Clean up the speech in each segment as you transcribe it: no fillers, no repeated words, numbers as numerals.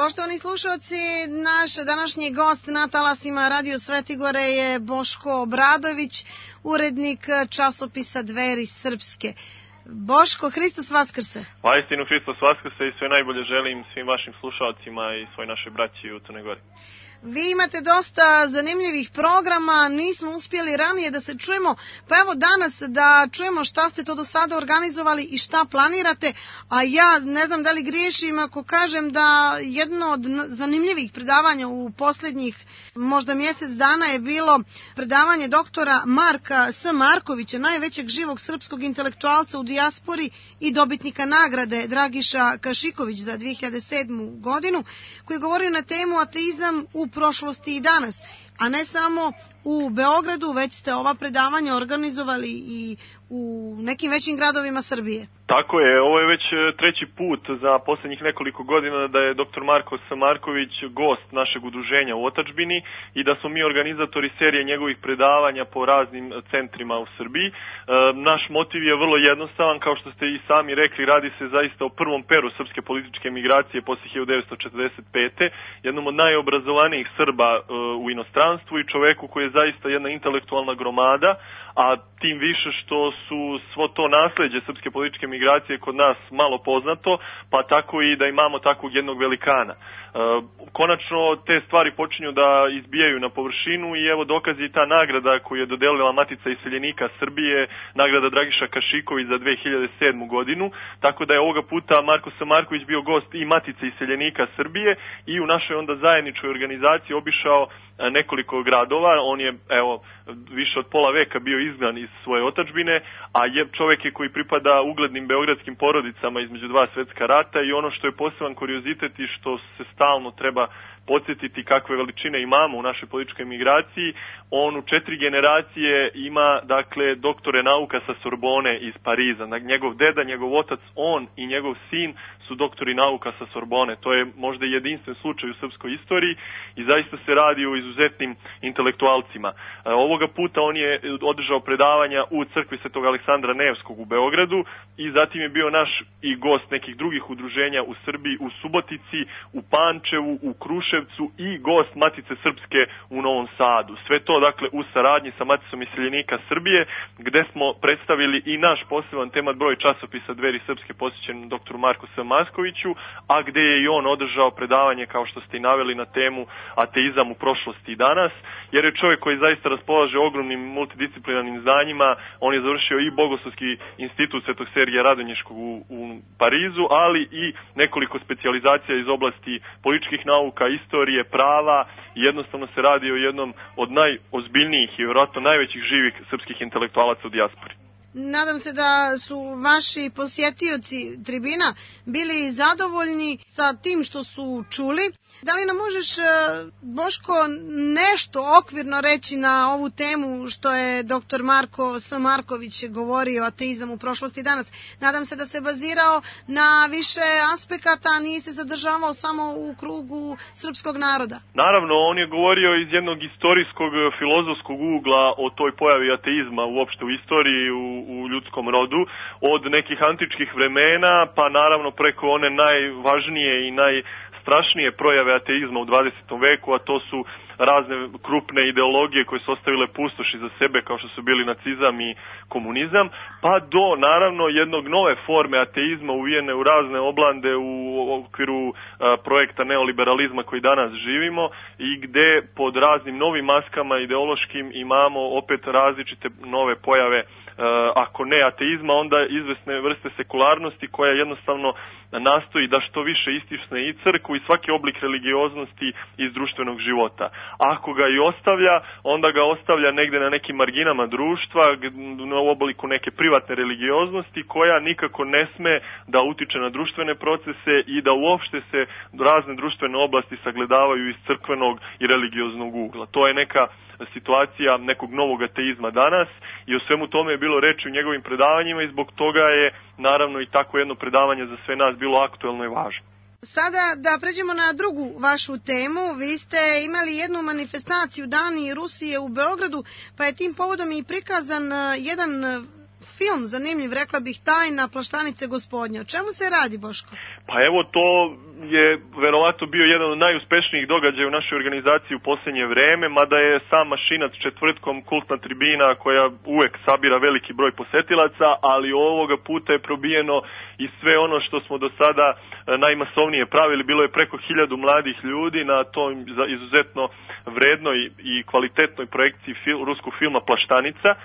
Poštovani slušalci, naš današnji gost na talasima Radio Svetigore je Boško Obradović, urednik časopisa Dveri Srpske. Boško, Hristos Vaskrse! Vaistinu Hristos Vaskrse i sve najbolje želim svim vašim slušalcima i svoj našoj braći u Crnoj Gori. Vi imate dosta zanimljivih programa, nismo uspjeli ranije da se čujemo, pa evo danas da čujemo šta ste to do sada organizovali i šta planirate, a ja ne znam da li griješim ako kažem da jedno od zanimljivih predavanja u posljednjih možda mjesec dana je bilo predavanje doktora Marka S. Markovića, najvećeg živog srpskog intelektualca u dijaspori i dobitnika nagrade Dragiša Kašiković za 2007. godinu, koji je govorio na temu ateizam u prošlosti i danas, a ne samo u Beogradu, već ste ova predavanja organizovali i u nekim većim gradovima Srbije. Tako je, ovo je već treći put za posljednjih nekoliko godina da je dr. Marko S. Marković gost našeg udruženja u otadžbini i da smo mi organizatori serije njegovih predavanja po raznim centrima u Srbiji. Naš motiv je vrlo jednostavan, kao što ste i sami rekli, radi se zaista o prvom peru srpske političke migracije posle 1945. Jednom od najobrazovanijih Srba u inostranstvu i čoveku koji je zaista jedna intelektualna gromada, a tim više što su svo to nasleđe srpske političke migracije kod nas malo poznato, pa tako i da imamo takvog jednog velikana. Konačno te stvari počinju da izbijaju na površinu i evo dokazi i ta nagrada koju je dodelila Matica iseljenika Srbije, nagrada Dragiša Kašiković za 2007. godinu, tako da je ovoga puta Marko S. Marković bio gost i Matice iseljenika Srbije i u našoj onda zajedničkoj organizaciji obišao nekoliko gradova. On je evo više od pola veka bio izgnan iz svoje otadžbine, a čovjek je koji pripada uglednim beogradskim porodicama između dva svetska rata i ono što je poseban kuriozitet i što se stalno treba podsjetiti kakve veličine imamo u našoj političkoj migraciji, on u 4 generacije ima dakle doktore nauka sa Sorbone iz Pariza. Njegov deda, njegov otac, on i njegov sin su doktori nauka sa Sorbone. To je možda jedinstven slučaj u srpskoj istoriji i zaista se radi o izuzetnim intelektualcima. Ovoga puta on je održao predavanja u crkvi Svetog Aleksandra Nevskog u Beogradu i zatim je bio naš i gost nekih drugih udruženja u Srbiji, u Subotici, u Pančevu, u Kruševcu i gost Matice Srpske u Novom Sadu. Sve to dakle u saradnji sa Maticom iseljenika Srbije, gde smo predstavili i naš poseban temat broj časopisa Dveri Srpske posvećen dr. Marku S. Markoviću, a gde je i on održao predavanje, kao što ste i naveli, na temu ateizam u prošlosti i danas, jer je čovjek koji zaista raspolaže ogromnim multidisciplinarnim znanjima. On je završio i Bogoslovski institut Svetog Sergija Radonjiškog u Parizu, ali i nekoliko specijalizacija iz oblasti političkih nauka, istorije, prava i jednostavno se radi o jednom od najozbiljnijih i vjerojatno najvećih živih srpskih intelektualaca u dijaspori. Nadam se da su vaši posjetioci tribina bili zadovoljni sa tim što su čuli. Da li nam možeš, Boško, nešto okvirno reći na ovu temu što je dr. Marko S. Marković govorio o ateizam u prošlosti i danas? Nadam se da se bazirao na više aspekata, a nije se zadržavao samo u krugu srpskog naroda. Naravno, on je govorio iz jednog istorijskog, filozofskog ugla o toj pojavi ateizma uopšte u istoriji, u ljudskom rodu, od nekih antičkih vremena, pa naravno preko one najvažnije i najstrašnije projave ateizma u 20. veku, a to su razne krupne ideologije koje su ostavile pustoši za sebe, kao što su bili nacizam i komunizam, pa do naravno jednog nove forme ateizma uvijene u razne oblande u okviru projekta neoliberalizma koji danas živimo i gde pod raznim novim maskama ideološkim imamo opet različite nove pojave, ako ne ateizma, onda izvesne vrste sekularnosti koja jednostavno nastoji da što više istisne i crkvu i svaki oblik religioznosti iz društvenog života. Ako ga i ostavlja, onda ga ostavlja negde na nekim marginama društva, u obliku neke privatne religioznosti koja nikako ne sme da utiče na društvene procese i da uopšte se razne društvene oblasti sagledavaju iz crkvenog i religioznog ugla. To je neka situacija nekog novog ateizma danas i o svemu tome je bilo reči u njegovim predavanjima i zbog toga je naravno i tako jedno predavanje za sve nas bilo aktuelno i važno. Sada da pređemo na drugu vašu temu. Vi ste imali jednu manifestaciju Dani Rusije u Beogradu, pa je tim povodom i prikazan jedan film zanimljiv, rekla bih, Tajna plaštanice gospodnje. O čemu se radi, Boško? Pa evo, to je verovatno bio jedan od najuspešnijih događaja u našoj organizaciji u posljednje vreme, mada je sam Mašinac četvrtkom kultna tribina koja uvek sabira veliki broj posetilaca, ali ovoga puta je probijeno i sve ono što smo do sada najmasovnije pravili. Bilo je preko 1000 mladih ljudi na tom izuzetno vrednoj i kvalitetnoj projekciji ruskog filma Plaštanica.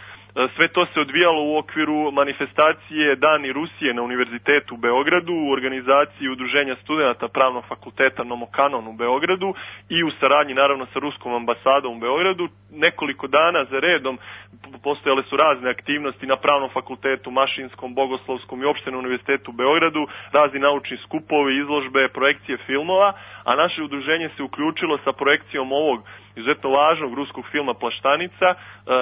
Sve to se odvijalo u okviru manifestacije Dani Rusije na Univerzitetu u Beogradu, u organizaciji Udruženja studenata Pravnog fakulteta Nomokanon u Beogradu i u saradnji naravno sa Ruskom ambasadom u Beogradu. Nekoliko dana za redom postojale su razne aktivnosti na Pravnom fakultetu, Mašinskom, Bogoslovskom i uopšte na Univerzitetu u Beogradu, razni naučni skupovi, izložbe, projekcije filmova, a naše udruženje se uključilo sa projekcijom ovog izuzetno važnog ruskog filma Plaštanica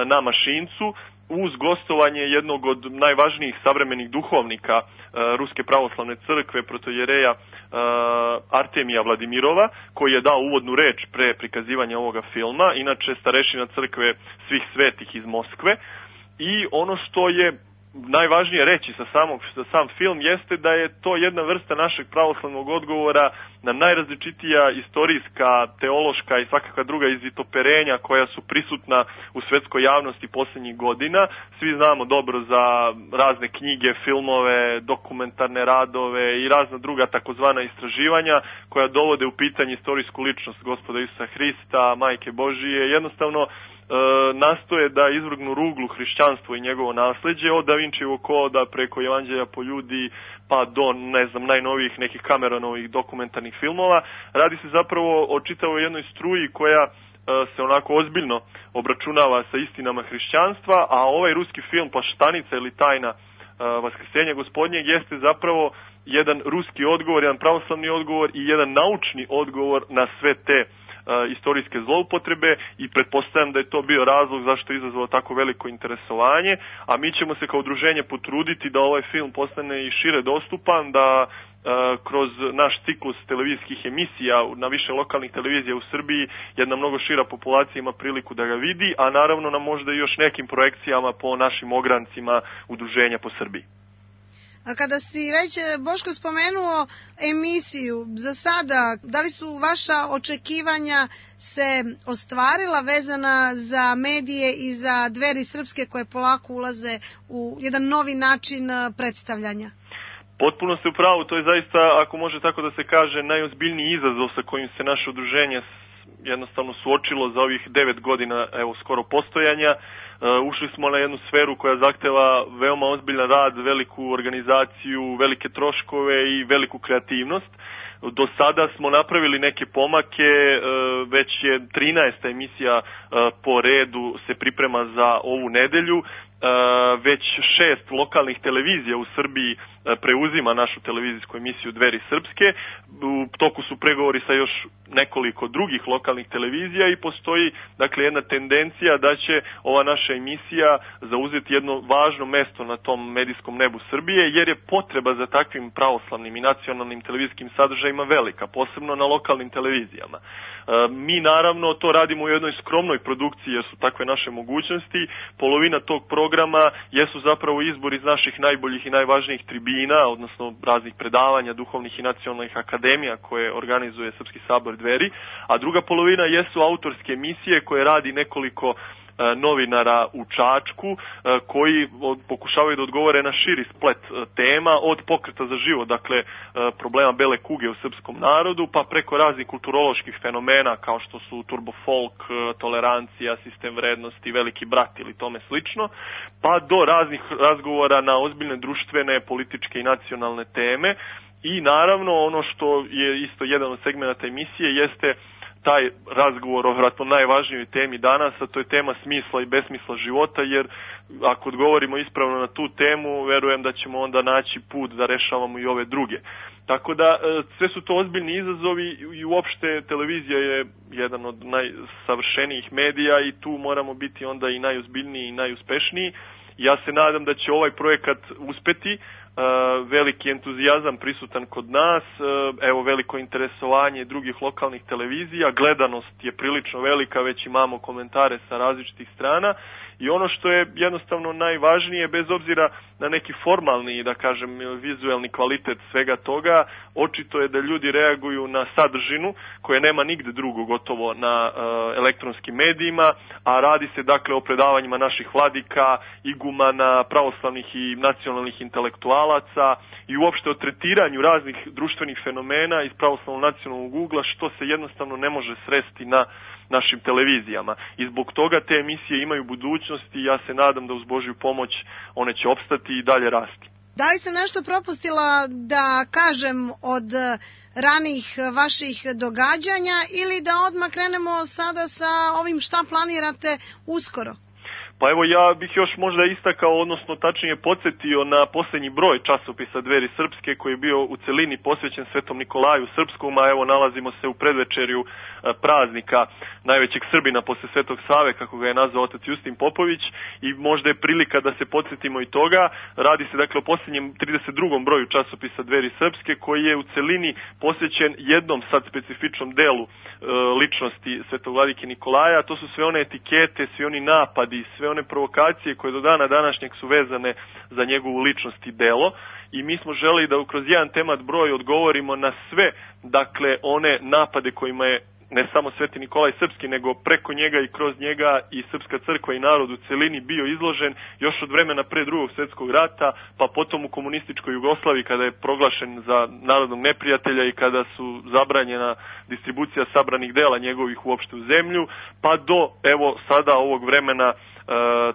na Mašincu, uz gostovanje jednog od najvažnijih savremenih duhovnika Ruske pravoslavne crkve, protojereja Artemija Vladimirova, koji je dao uvodnu reč pre prikazivanja ovoga filma, inače starešina crkve svih svetih iz Moskve. I ono što je najvažnije reći za sam film jeste da je to jedna vrsta našeg pravoslavnog odgovora na najrazličitija istorijska, teološka i svakakva druga izvitoperenja koja su prisutna u svetskoj javnosti posljednjih godina. Svi znamo dobro za razne knjige, filmove, dokumentarne radove i razna druga takozvana istraživanja koja dovode u pitanje istorijsku ličnost Gospoda Isusa Hrista, Majke Božije, jednostavno nastoje da izvrgnu ruglu hrišćanstvo i njegovo nasleđe, od Da Vinčijevog koda preko Evanđelja po ljudi pa do, najnovijih nekih Cameronovih dokumentarnih filmova. Radi se zapravo o čitavoj jednoj struji koja se onako ozbiljno obračunava sa istinama hrišćanstva, a ovaj ruski film Plaštanica ili Tajna Vaskrsenja Gospodnjeg jeste zapravo jedan ruski odgovor, jedan pravoslavni odgovor i jedan naučni odgovor na sve te istorijske zloupotrebe i pretpostavljam da je to bio razlog zašto je izazvalo tako veliko interesovanje, a mi ćemo se kao udruženje potruditi da ovaj film postane i šire dostupan, da kroz naš ciklus televizijskih emisija na više lokalnih televizija u Srbiji jedna mnogo šira populacija ima priliku da ga vidi, a naravno na možda i još nekim projekcijama po našim ograncima udruženja po Srbiji. A kada si već, Boško, spomenuo emisiju, za sada, da li su vaša očekivanja se ostvarila vezana za medije i za Dveri srpske koje polako ulaze u jedan novi način predstavljanja? Potpuno ste u pravu, to je zaista, ako može tako da se kaže, najozbiljniji izazov sa kojim se naše udruženje jednostavno suočilo za ovih 9 godina, evo, skoro postojanja. Ušli smo na jednu sferu koja zahteva veoma ozbiljan rad, veliku organizaciju, velike troškove i veliku kreativnost. Do sada smo napravili neke pomake, već je 13. emisija po redu se priprema za ovu nedelju. Već 6 lokalnih televizija u Srbiji preuzima našu televizijsku emisiju Dveri srpske. U toku su pregovori sa još nekoliko drugih lokalnih televizija i postoji dakle jedna tendencija da će ova naša emisija zauzeti jedno važno mesto na tom medijskom nebu Srbije, jer je potreba za takvim pravoslavnim i nacionalnim televizijskim sadržajima velika, posebno na lokalnim televizijama. Mi naravno to radimo u jednoj skromnoj produkciji jer su takve naše mogućnosti. Polovina tog programa jesu zapravo izbor iz naših najboljih i najvažnijih tribina, odnosno raznih predavanja, duhovnih i nacionalnih akademija koje organizuje Srpski sabor Dveri, a druga polovina jesu autorske emisije koje radi nekoliko novinara u Čačku koji pokušavaju da odgovore na širi splet tema, od pokreta za život, dakle problema bele kuge u srpskom narodu, pa preko raznih kulturoloških fenomena kao što su turbofolk, tolerancija, sistem vrednosti, veliki brat ili tome slično, pa do raznih razgovora na ozbiljne društvene, političke i nacionalne teme. I naravno ono što je isto jedan od segmenata emisije jeste taj razgovor o vjerojatno najvažnijoj temi danas, a to je tema smisla i besmisla života, jer ako odgovorimo ispravno na tu temu, verujem da ćemo onda naći put da rešavamo i ove druge. Tako da sve su to ozbiljni izazovi i uopšte televizija je jedan od najsavršenijih medija i tu moramo biti onda i najozbiljniji i najuspešniji. Ja se nadam da će ovaj projekat uspeti. Veliki entuzijazam prisutan kod nas, evo veliko interesovanje drugih lokalnih televizija, gledanost je prilično velika, već imamo komentare sa različitih strana I ono što je jednostavno najvažnije, bez obzira na neki formalni, da kažem, vizuelni kvalitet svega toga, očito je da ljudi reaguju na sadržinu koje nema nigde drugo gotovo na elektronskim medijima, a radi se dakle o predavanjima naših vladika, igumana, pravoslavnih i nacionalnih intelektualaca i uopšte o tretiranju raznih društvenih fenomena iz pravoslavnog nacionalnog ugla, što se jednostavno ne može sresti na našim televizijama. I zbog toga te emisije imaju budućnost i ja se nadam da uz Božju pomoć one će opstati i dalje rasti. Da li sam nešto propustila da kažem od ranijih vaših događanja ili da odmah krenemo sada sa ovim šta planirate uskoro? Pa evo ja bih još možda istakao, odnosno tačnije podsjetio na posljednji broj časopisa Dveri srpske koji je bio u celini posvećen Svetom Nikolaju Srpskom, a evo nalazimo se u predvečerju praznika najvećeg Srbina posle Svetog Save, kako ga je nazvao otac Justin Popović, i možda je prilika da se podsjetimo i toga. Radi se dakle o posljednjem 32. broju časopisa Dveri srpske koji je u celini posvećen jednom sad specifičnom delu ličnosti Svetog vladike Nikolaja. To su sve one etikete, svi oni napadi, sve one provokacije koje do dana današnjeg su vezane za njegovu ličnost i delo, i mi smo želeli da kroz jedan temat broj odgovorimo na sve, dakle, one napade kojima je ne samo Sveti Nikolaj Srpski, nego preko njega i kroz njega i Srpska crkva i narod u celini bio izložen još od vremena pre Drugog svjetskog rata, pa potom u komunističkoj Jugoslaviji kada je proglašen za narodnog neprijatelja i kada su zabranjena distribucija sabranih dela njegovih uopšte u zemlju, pa do evo sada ovog vremena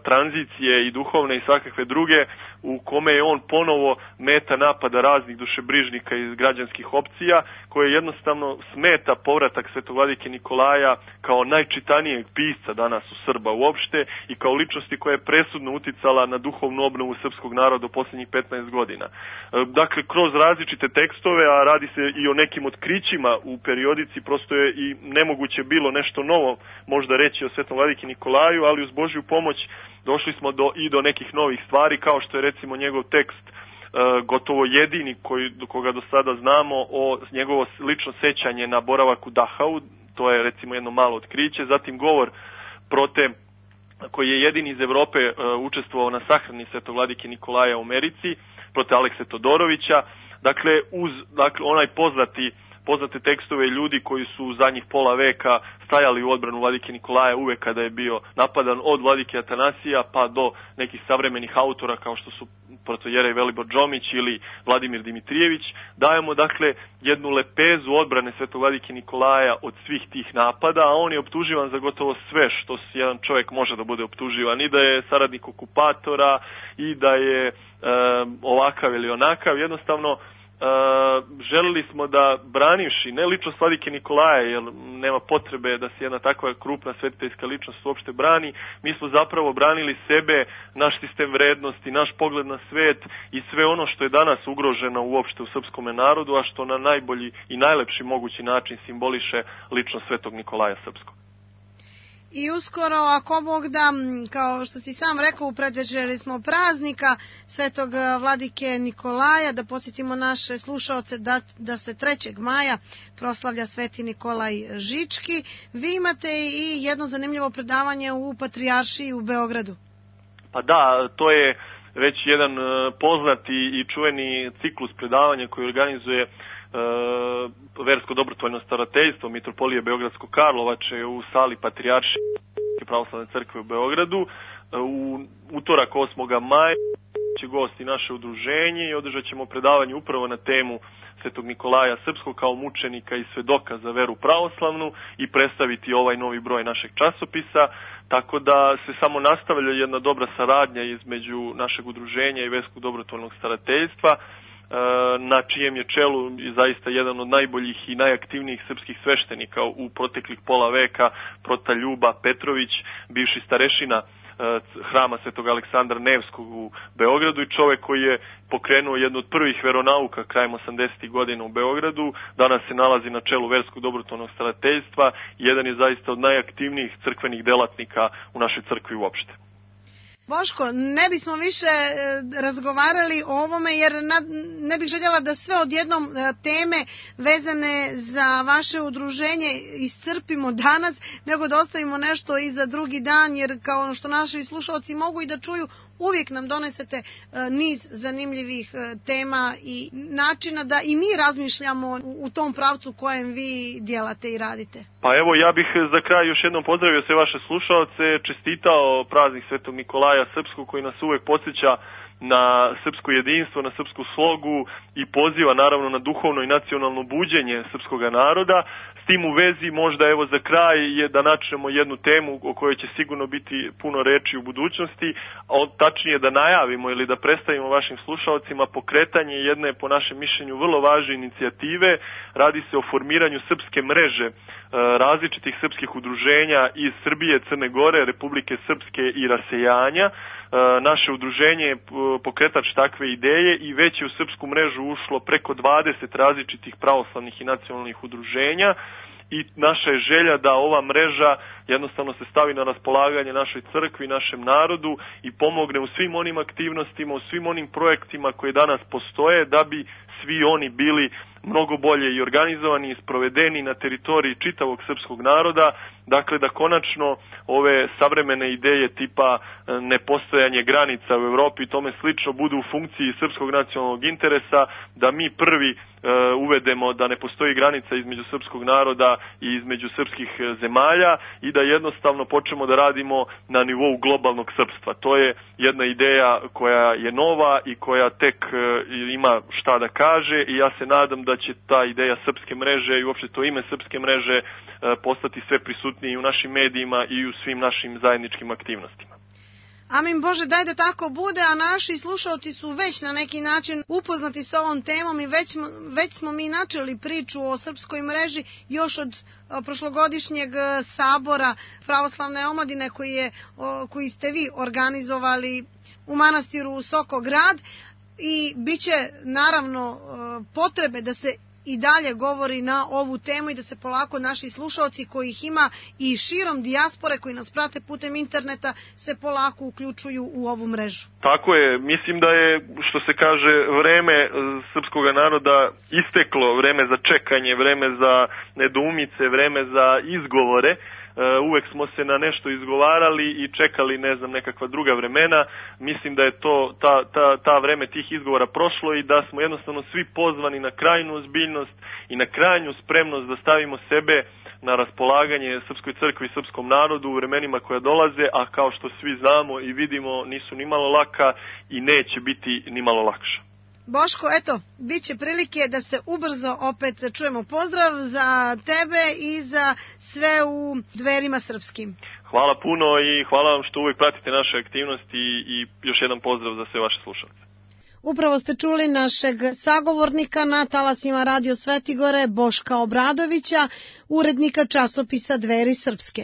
tranzicije i duhovne i svakakve druge, u kome je on ponovo meta napada raznih dušebrižnika iz građanskih opcija, koje jednostavno smeta povratak Svetog vladike Nikolaja kao najčitanijeg pisca danas u Srba uopšte i kao ličnosti koja je presudno uticala na duhovnu obnovu srpskog naroda u posljednjih 15 godina. Dakle, kroz različite tekstove, a radi se i o nekim otkrićima u periodici, prosto je i nemoguće bilo nešto novo možda reći o Svetom vladiki Nikolaju, ali uz Božju pomoć došli smo do nekih novih stvari, kao što je recimo njegov tekst gotovo jedini do koga do sada znamo o njegovo lično sećanje na boravak u Dachau, to je recimo jedno malo otkriće, zatim govor Prote, koji je jedini iz Evrope učestvovao na sahrani Svetog vladike Nikolaja u Americi, Prote Alekse Todorovića, dakle uz onaj poznate tekstove ljudi koji su u zadnjih pola veka stajali u odbranu vladike Nikolaja uvek kada je bio napadan, od vladike Atanasija pa do nekih savremenih autora kao što su protojerej Velibor Džomić ili Vladimir Dimitrijević. Dajemo dakle jednu lepezu odbrane Svetog vladike Nikolaja od svih tih napada, a on je optuživan za gotovo sve što jedan čovjek može da bude optuživan, i da je saradnik okupatora i da je ovakav ili onakav. Jednostavno želili smo da, branivši ne ličnost vladike Nikolaja, jer nema potrebe da se jedna takva krupna svetiteljska ličnost uopšte brani, mi smo zapravo branili sebe, naš sistem vrednosti, naš pogled na svet i sve ono što je danas ugroženo uopšte u srpskom narodu, a što na najbolji i najlepši mogući način simboliše ličnost Svetog Nikolaja Srpskog. I uskoro, ako Bog da, kao što si sam rekao, u predvečeri smo praznika Svetog vladike Nikolaja, da podsjetimo naše slušaoce da se 3. maja proslavlja Sveti Nikolaj Žički. Vi imate i jedno zanimljivo predavanje u Patrijaršiji u Beogradu. Pa da, to je već jedan poznati i čuveni ciklus predavanja koji organizuje versko dobrotvorno starateljstvo Mitropolije Beogradsko-Karlovače u sali Patrijaršije pravoslavne crkve u Beogradu. U utorak 8. maja će gosti naše udruženje i održat ćemo predavanje upravo na temu Svetog Nikolaja Srpskog kao mučenika i svedoka za veru pravoslavnu i predstaviti ovaj novi broj našeg časopisa, tako da se samo nastavlja jedna dobra saradnja između našeg udruženja i verskog dobrotvornog starateljstva, na čijem je čelu zaista jedan od najboljih i najaktivnijih srpskih sveštenika u proteklih pola veka, Prota Ljuba Petrović, bivši starešina hrama Svetog Aleksandra Nevskog u Beogradu i čovek koji je pokrenuo jednu od prvih veronauka krajem 80. godina u Beogradu. Danas se nalazi na čelu verskog dobrotvornog starateljstva i jedan je zaista od najaktivnijih crkvenih delatnika u našoj crkvi uopšte. Boško, ne bismo više razgovarali o ovome jer ne bih željela da sve odjednom teme vezane za vaše udruženje iscrpimo danas, nego da ostavimo nešto i za drugi dan, jer kao što naši slušalci mogu i da čuju, uvijek nam donesete niz zanimljivih tema i načina da i mi razmišljamo u tom pravcu kojem vi djelate i radite. Pa evo, ja bih za kraj još jednom pozdravio sve vaše slušalce, čestitao praznik Svetog Nikolaja Srpskog koji nas uvijek podsjeća na srpsko jedinstvo, na srpsku slogu i poziva naravno na duhovno i nacionalno buđenje srpskoga naroda. S tim u vezi možda evo za kraj je da načnemo jednu temu o kojoj će sigurno biti puno reči u budućnosti, a tačnije da najavimo ili da predstavimo vašim slušalcima pokretanje jedne po našem mišljenju vrlo važne inicijative. Radi se o formiranju srpske mreže različitih srpskih udruženja iz Srbije, Crne Gore, Republike Srpske i rasejanja. Naše udruženje je pokretač takve ideje i već je u srpsku mrežu ušlo preko 20 različitih pravoslavnih i nacionalnih udruženja i naša je želja da ova mreža jednostavno se stavi na raspolaganje našoj crkvi, našem narodu i pomogne u svim onim aktivnostima, u svim onim projektima koji danas postoje da bi svi oni bili mnogo bolje i organizovani i sprovedeni na teritoriji čitavog srpskog naroda, dakle da konačno ove savremene ideje tipa nepostojanje granica u Evropi i tome slično budu u funkciji srpskog nacionalnog interesa, da mi prvi uvedemo da ne postoji granica između srpskog naroda i između srpskih zemalja i da jednostavno počnemo da radimo na nivou globalnog srpstva. To je jedna ideja koja je nova i koja tek ima šta da kaže i ja se nadam da će ta ideja srpske mreže i uopšte to ime srpske mreže postati sve prisutniji u našim medijima i u svim našim zajedničkim aktivnostima. Amin Bože, daj da tako bude, a naši slušalci su već na neki način upoznati s ovom temom i već smo mi načeli priču o srpskoj mreži još od prošlogodišnjeg sabora pravoslavne omladine koji ste vi organizovali u manastiru Sokograd i bit će naravno potrebe da se i dalje govori na ovu temu i da se polako naši slušalci kojih ima i širom dijaspore koji nas prate putem interneta se polako uključuju u ovu mrežu. Tako je, mislim da je, što se kaže, vreme srpskog naroda isteklo, vreme za čekanje, vreme za nedoumice, vreme za izgovore. Uvek smo se na nešto izgovarali i čekali, ne znam, nekakva druga vremena. Mislim da je to ta vreme tih izgovora prošlo i da smo jednostavno svi pozvani na krajnju ozbiljnost i na krajnju spremnost da stavimo sebe na raspolaganje Srpskoj crkvi i srpskom narodu u vremenima koja dolaze, a kao što svi znamo i vidimo nisu ni malo laka i neće biti ni malo lakša. Boško, eto, bit će prilike da se ubrzo opet čujemo. Pozdrav za tebe i za sve u Dverima srpskim. Hvala puno i hvala vam što uvijek pratite naše aktivnosti i još jedan pozdrav za sve vaše slušalce. Upravo ste čuli našeg sagovornika na talasima Radio Svetigore, Boška Obradovića, urednika časopisa Dveri srpske.